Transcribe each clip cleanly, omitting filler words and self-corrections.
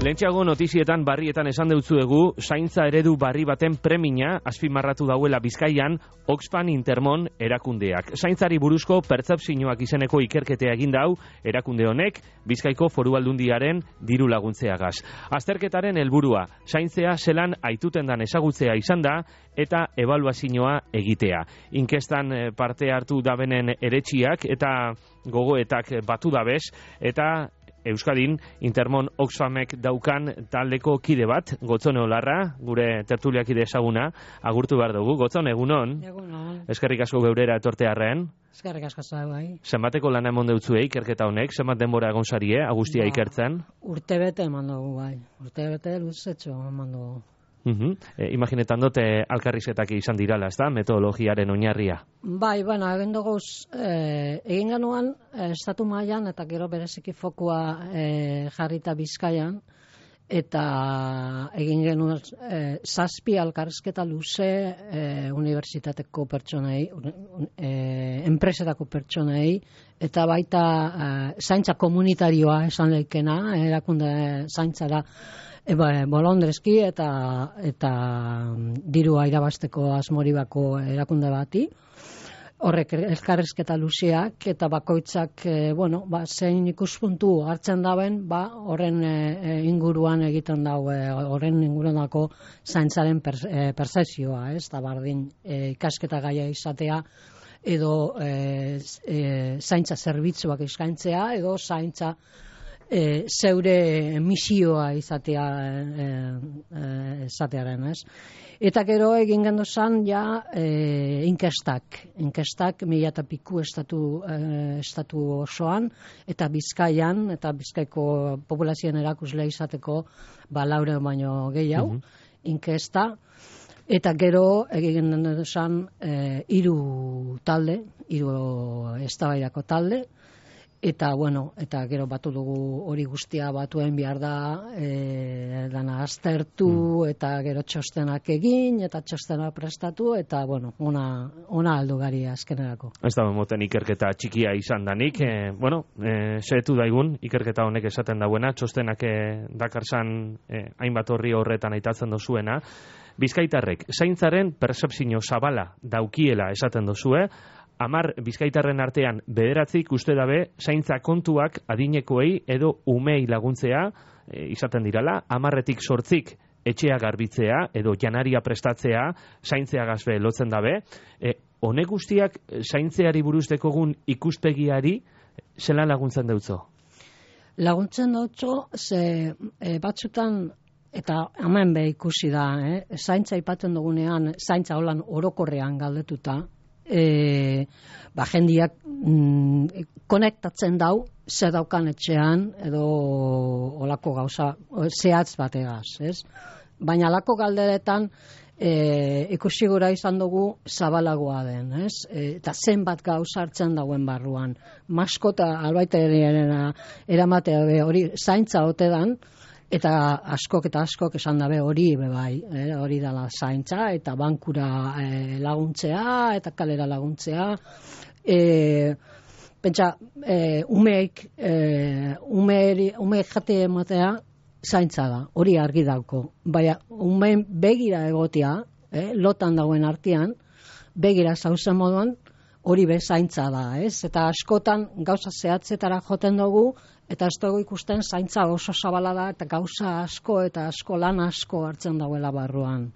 Lehentxeago notizietan barrietan esan deutzuegu, zaintza eredu barri baten premina azpimarratu dauela Bizkaian Oxfam Intermon erakundeak. Zaintzari buruzko pertzepzioak izeneko ikerketea egin dau erakunde honek Bizkaiko Foru Aldundiaren diru laguntzeagaz. Azterketaren helburua, zaintzea zelan aituten dan ezagutzea izan da eta ebaluazioa egitea. Inkestan parte hartu dabenen eretxiak eta gogoetak batu dabez eta Euskadin Intermon Oxfamek daukan taldeko kide bat, Gotzone Olarra, gure tertuliakide ezaguna, agurtu behar dugu. Gotzone, egunon? Egunon. Eskerrik asko geurera etortearren. Eskerrik asko bai. Zenbateko lana emon deutzuei ikerketa honek, zenbat denbora egon sarie, agustia ikertzen? Urtebete eman dugu bai. Urtebete luzetxo eman dugu. Imaginetan dute alkarrizetak izan dirala, ez da, metodologiaren oinarria? Bai, bueno, egin duguz, egin genuan, estatu mailan eta gero bereziki fokua jarrita Bizkaian, eta egin genuen zazpi alkarrizketa luze unibertsitateko pertsonei, enpresetako pertsonei, eta baita zaintza komunitarioa esan leikena, erakunde zaintzara, bolondrezki eta dirua irabasteko asmoribako erakunde bati. Horrek elkarrizketa luzeak eta bakoitzak zein ikuspuntu hartzen dauen, horren inguruan egiten dau, horren inguruanako zaintzaren percepzioa, ez da bardin ikasketa gaia izatea edo zaintza zerbitzuak eskaintzea edo zaintza zeure misioa izatearen, ez? Eta gero egin gendozan inkestak 1000 piku estatu osoan, eta Bizkaian, eta Bizkaiko populazioen erakusle izateko 400 baino gehiago, inkesta. Eta gero egin gendozan 3 eztabaidako talde, eta gero batu dugu hori guztia batuen behar da dana aztertu eta gero txostenak egin eta txostena prestatu eta ona aldu gari azkenerako. Ez da moten ikerketa txikia izan danik, zehetu daigun ikerketa honek esaten dauena, txostenak dakarzan hainbat horri horretan aitatzen dozuena. Bizkaitarrek zaintzaren percepzio zabala daukiela esaten dozue, 10 bizkaitarren artean 9 uste dabe zaintza kontuak adinekoei edo umei laguntzea izaten dirala, 10 8 etxea garbitzea edo janaria prestatzea zaintzeagaz be lotzen dabe. Honek guztiak zaintzeari buruz dekogun ikuspegiari zelan laguntzen deutzo? Laguntzen deutzo, ze batzutan eta hemen be ikusi da, zaintza ipatzen dugunean, zaintza holan orokorrean galdetuta, jendiak konektatzen dau ze daukan etxean edo olako gauza zehatz bategaz, ez? Baina alako galderetan ikusi gura izan dugu zabalagoa den, ez? Eta zenbat gauza hartzen dauen barruan. Maskota albaiterena eramatea hori zaintza ote dan, eta askok esan dabe hori bai, hori dala zaintza eta bankura laguntzea eta kalera laguntzea. Pentsa, umeek jate ematea zaintza da, hori argi dauko. Baina, umeen begira egotea, lotan dauen artean, begira zauzen moduan, hori be zaintza da, ez? Eta askotan gauza zehatzetara joten dugu, eta ez dugu ikusten zaintza oso zabala da, eta gauza asko eta lan asko hartzen dauela barruan.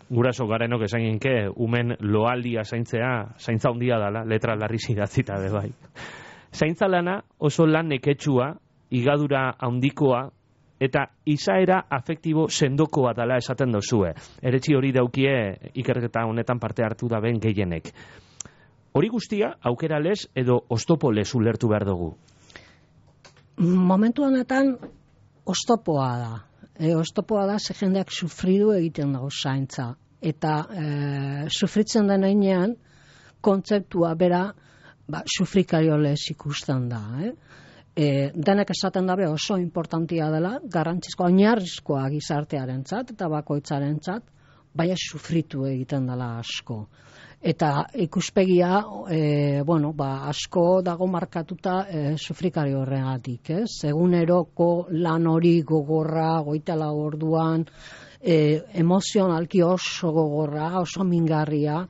Guraso garenok esan ginke, umen loaldia zaintza handia dala, letra larriz idatzita be bai. Zaintza lana oso lan neketsua, igadura handikoa, eta izaera afektibo sendokoa dala esaten dozue. Eretsi hori daukie ikerketa honetan parte hartu da ben gehienek. Hori guztia, aukera lez edo oztopo lez ulertu behar dugu? Momentu honetan oztopoa da. Oztopoa da, ze jendeak sufridu egiten dago zaintza. Eta sufritzen den heinean, kontzeptua bera, sufrikario lez ikusten da. Denek esaten dabe oso importantia dela, garrantzizkoa, oinarrizkoa gizartearentzat eta bakoitzarentzat, baina sufritu egiten dela asko. Eta ikuspegia, bueno, asko dago markatuta sufrikari horregatik, ez? Eguneroko lan hori gogorra, 24 orduan, emozionalki oso gogorra, oso mingarria,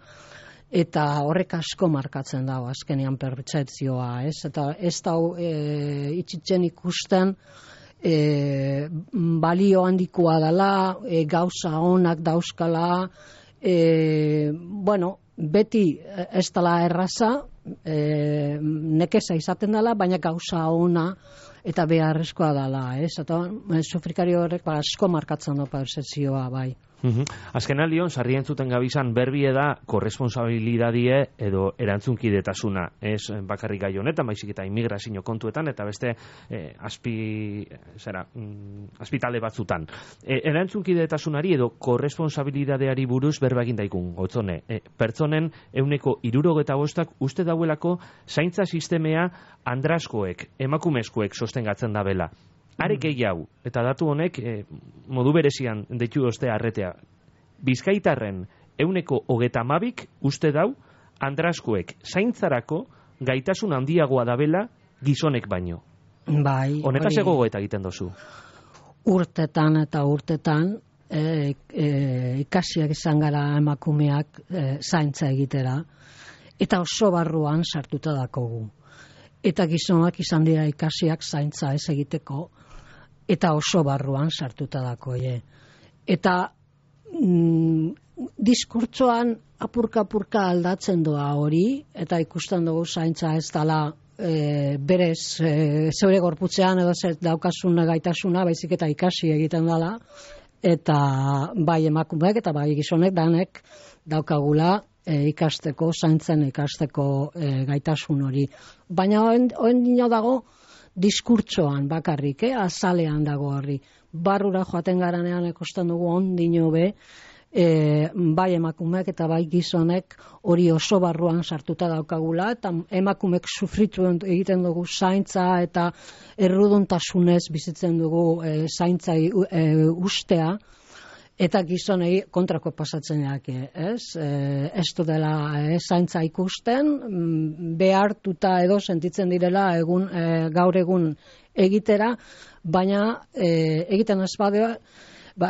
eta horrek asko markatzen dago azkenean pertzepzioa, ez? Eta ez dau itxitzen ikusten balio handikoa dela, gauza onak dauzkala, bueno, beti ez dela erraza, nekeza izaten dela, baina gauza ona eta beharrezkoa dela, ez? Eta sufrikari horrek asko markatzen du pertzepzioa, bai. Azken aldion, sarri entzuten gabizan berbie da korresponsabilidadie edo erantzunkidetasuna. Ez bakarrik gai honetan, baizik eta immigrazio kontuetan, eta beste azpitale batzutan. Erantzunkidetasunari edo korresponsabilidadeari buruz berba egin daikun, Gotzone. Pertsonen 65% uste dauelako zaintza sistemea andraskoek, emakumezkoek sostengatzen dabela. Are gehiago, eta datu honek modu berezian deitu ostea arretea. Bizkaitarren 32% uste dau andraskoek zaintzarako gaitasun handiagoa dabela gizonek baino. Bai. Honetaz gogoeta egiten dozu. Urtetan eta urtetan ikasiak izan gara emakumeak zaintza egitera, eta oso barruan sartuta dakogu. Eta gizonak izan dira ikasiak zaintza ez egiteko, eta oso barruan sartuta dakoie. Eta diskurtsoan apurka aldatzen doa hori, eta ikusten dugu zaintza ez dela berez zeure gorputzean edo daukasuna gaitasuna, baizik eta ikasi egiten dela, eta bai emakumeek eta bai gizonek danek daukagula ikasteko, zaintzen ikasteko gaitasun hori. Baina oen dino dago diskurtsoan bakarrik, azalean dago horri. Barrura joaten garanean ikusten dugu ondino be, bai emakumeak eta bai gizonek hori oso barruan sartuta daukagula, eta emakumeek sufritu egiten dugu zaintza eta erruduntasunez bizitzen dugu zaintza ustea, eta gizonei kontrako pasatzen jake, ez? Ez du dela zaintza ikusten, behartuta edo sentitzen direla gaur egun egitera, baina egiten ez badea,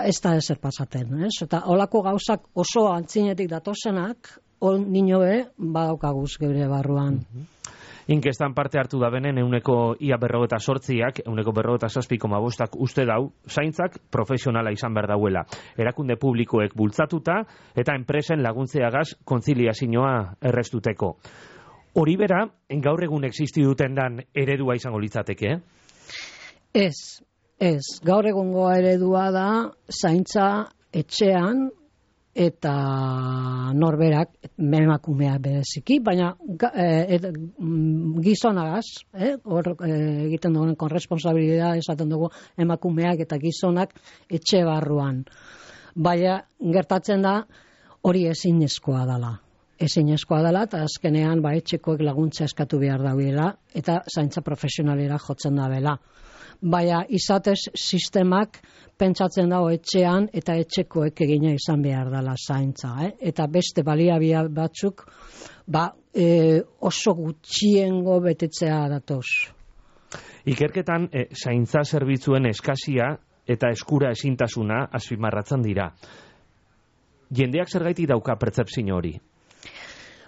ez da ezer pasaten, ez? Eta holako gauzak oso antzinetik datozenak, nino be, badaukaguz geure barruan. Inkestan parte hartu da benen ia 48ak, 47,5 uste dau, zaintzak profesionala izan behar dauela. Erakunde publikoek bultzatuta eta enpresen laguntzeagaz kontziliazioa errestuteko. Hori bera, gaur egun existi duten dan eredua izango litzateke? Ez. Gaur egungo eredua da zaintza etxean, eta norberak, emakumeak bereziki, baina gizonagaz, egiten dugun korresponsabilidad esaten dugu emakumeak eta gizonak etxe barruan. Baina gertatzen da hori ezinezkoa dela. Ezinezkoa dela, eta azkenean etxekoek laguntza eskatu behar dauela, eta zaintza profesionalera jotzen dabela. Baina izatez sistemak pentsatzen dago etxean eta etxekoek egina izan behar dela zaintza. Eta beste baliabia batzuk oso gutxiengo betetzea datoz. Ikerketan zaintza zerbitzuen eskasia eta eskura ezintasuna azpimarratzen dira. Jendeak zergaiti dauka pertzepzio hori?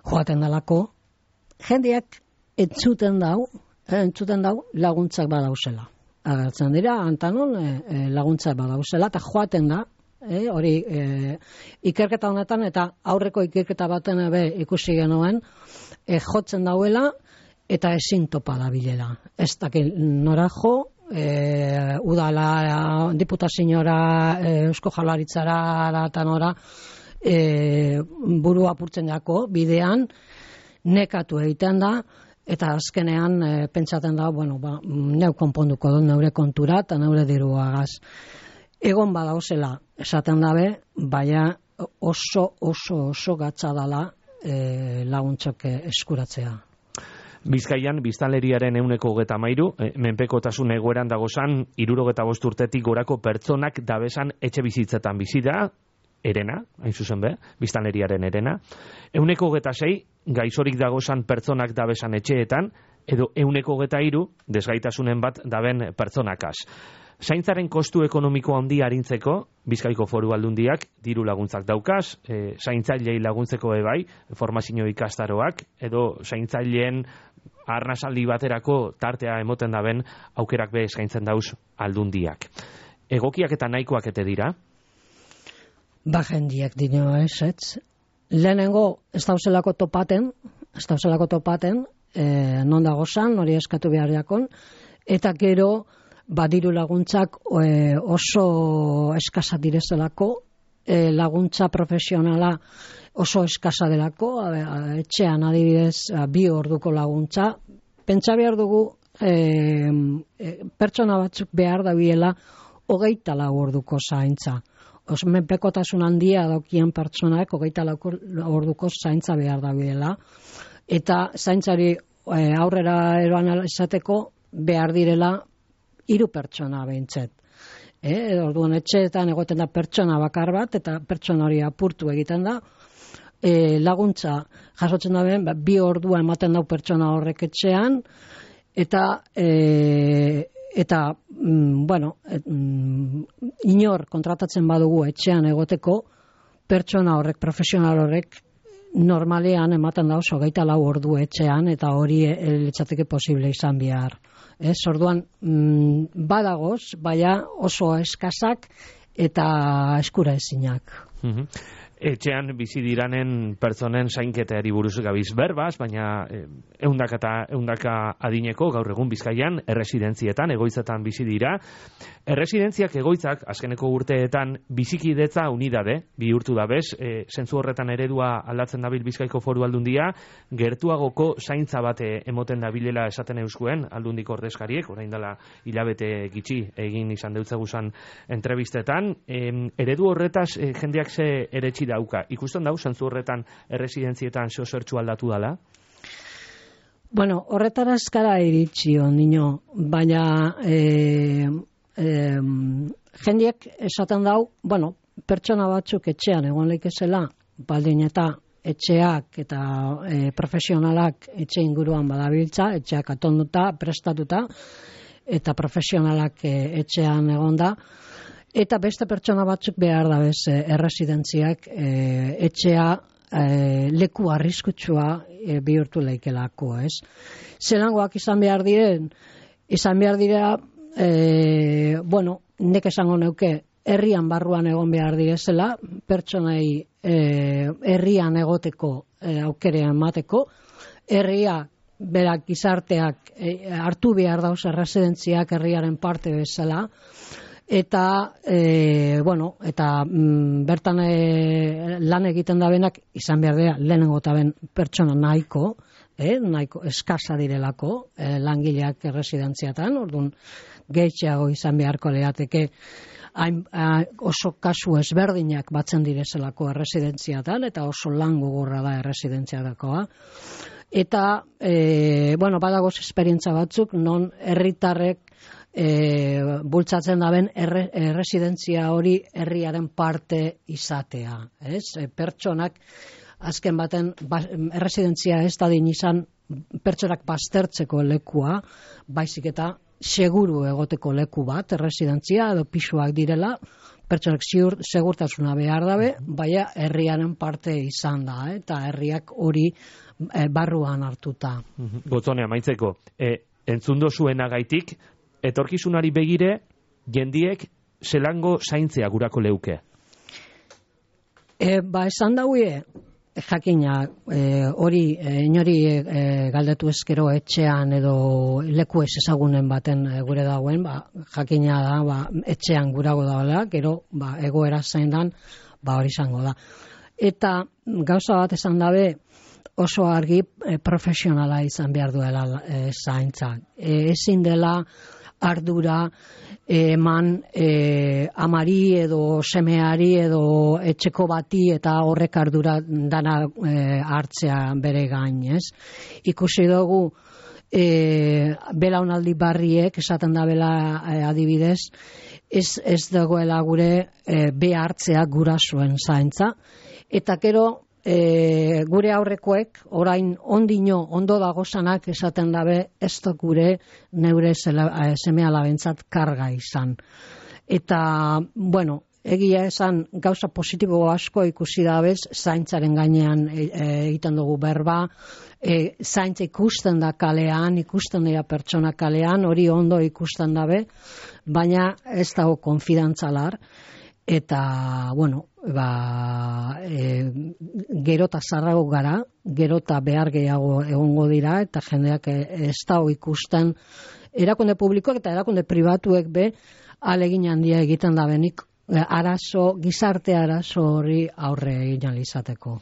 Joaten dalako, jendeak entzuten dau laguntzak badauzela. Agertzen dira, antanon laguntzak badauzela, eta joaten da, hori ikerketa honetan, eta aurreko ikerketa baten ikusi genuen, jotzen dauela, eta ezin topa dabilela. Ez dakil nora jo, udala, diputaziora, Eusko Jaurlaritzara, eta nora, buru apurtzen jako, bidean, nekatu egiten da, eta azkenean pentsaten da, neu konponduko dut neure kontura eta neure diruagaz. Egon badauzela esaten dabe, baina oso gatza dala laguntzak eskuratzea. Bizkaian, biztanleriaren 33%, menpekotasun egoeran dagozan, 65 urtetik gorako pertsonak dabesan etxe bizitzetan bizi da, erena, hain zuzen be, biztanleriaren erena, 26 gaixorik dagozan pertsonak dabesan etxeetan, edo 123 desgaitasunen bat daben pertsonakaz. Zaintzaren kostu ekonomiko handi arintzeko, Bizkaiko Foru Aldundiak diru laguntzak daukaz, zaintzailei laguntzeko ebai, formazio ikastaroak, edo zaintzaileen arnasaldi baterako tartea emoten daben aukerak be eskaintzen dauz Aldundiak. Egokiak eta nahikoak ete dira? Ba, jendiak dino ez. Lehenengo, ez dauzelako topaten, non dagozan, hori eskatu behar jakon, eta gero, badiru laguntzak oso eskasa direzelako, laguntza profesionala oso eskasa delako, etxean adibidez 2 orduko laguntza, pentsa behar dugu pertsona batzuk behar dabiela 24 orduko zaintza. Menpekotasun handia daukien pertsonak 24 orduko zaintza behar dabiela, eta zaintzari aurrera eroan izateko behar direla 3 pertsona behintzet. Orduan etxeetan egoten da pertsona bakar bat, eta pertsona hori apurtu egiten da. Laguntza jasotzen da ben, 2 ordua ematen dau pertsona horrek etxean, eta inor kontratatzen badugu etxean egoteko, pertsona horrek, profesional horrek, normalean ematen da oso 24 ordu etxean, eta hori litzateke posible izan behar. Orduan badagoz, baina oso eskasak eta eskura ezinak. Etxean bizi diranen pertsonen zainketeari buruz gabiz berbaz, baina ehundaka adineko gaur egun Bizkaian erresidentzietan, egoitzetan bizi dira. Erresidentziak egoitzak azkeneko urteetan bizikidetza unidade bihurtu da bez, zentzu horretan eredua aldatzen dabil Bizkaiko Foru Aldundia, gertuagoko zaintza bate emoten dabilela esaten euskuen Aldundiko ordezkariek, orain dela hilabete gitxi egin izan deutzeguzan entrevistetan. Eredu horretaz jendeak ze eretxi dauka. Ikusten dau, zentzu horretan erresidentzietan zertxu aldatu dala? Bueno, horretara eskara iritsi nino, baina jendeak esaten dau, bueno, pertsona batzuk etxean egon leikezela, baldin eta etxeak eta profesionalak etxe inguruan badabiltza, etxeak atonduta, prestatuta, eta profesionalak etxean egonda, eta beste pertsona batzuk behar da bez erresidentziak etxea leku arriskutsua bihurtu leikelako, ez? Zelangoak izan behar dira, bueno, nek esango neuke, herrian barruan egon behar direzela, pertsonei herrian egoteko aukerean emateko, herria berak gizarteak hartu behar dauz erresidentziak herriaren parte bezala, eta bertan lan egiten da benak izan behar dira lehenengo eta ben pertsona nahiko eskasa direlako langileak erresidentziatan, orduan gehitxeago izan beharko lehateke oso kasu ezberdinak batzen direzelako erresidentziatan, eta oso lan gogorra da erresidentziatakoa. Eta, badagoz esperientza batzuk, non herritarrek bultzatzen daben erresidentzia hori herriaren parte izatea. Pertsonak, azken baten, erresidentzia ez da din izan pertsonak baztertzeko lekua, baizik eta seguru egoteko leku bat, erresidentzia edo pisuak direla, pertsonak segurtasuna behar dabe, baina herriaren parte izan da, eta herriak hori barruan hartuta. Gotzone, amaitzeko, entzundo zuenagaitik, etorkizunari begire, jendiek zelango zaintzea gurako leuke? Esan daue, jakina, hori inori galdetu ezkero etxean edo leku ez ezagunen baten gure dagoen, jakina da, etxean gurago dagoela, gero egoera zein dan, hori izango da. Eta gauza bat esan dabe, oso argi profesionala izan behar duela zaintza. Ezin dela ardura eman amari edo semeari edo etxeko bati eta horrek ardura dana hartzea bere gain, ez? Ikusi dugu belaunaldi barriek, esaten da bela adibidez, ez dagoela gure behartzea gurasoen zaintza, eta gero gure aurrekoek orain ondo dagozanak esaten dabe ez da gure neure seme alabentzat karga izan. Eta, bueno, egia esan gauza positibo asko ikusi dabez, zaintzaren gainean egiten dugu berba, zaintza ikusten da kalean, ikusten dira pertsona kalean, hori ondo ikusten dabe, baina ez dago konfidantzalar, eta, bueno, gerota zarrago gara, gerota behar gehiago egongo dira, eta jendeak ez dago ikusten, erakunde publikoak eta erakunde pribatuek be, alegin handia egiten da benik, gizarte arazo hori aurre egin izateko.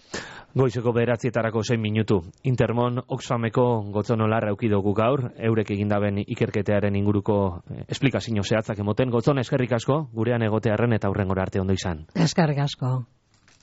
Goizeko 9:00 minutu. Intermon Oxfameko Gotzonolarra eukidogu gaur, eurek egindaben ikerketearen inguruko esplikazio zehatzak emoten. Gotzon, eskerrik asko, gurean egotearren eta hurrengora arte ondo izan. Eskerrik asko.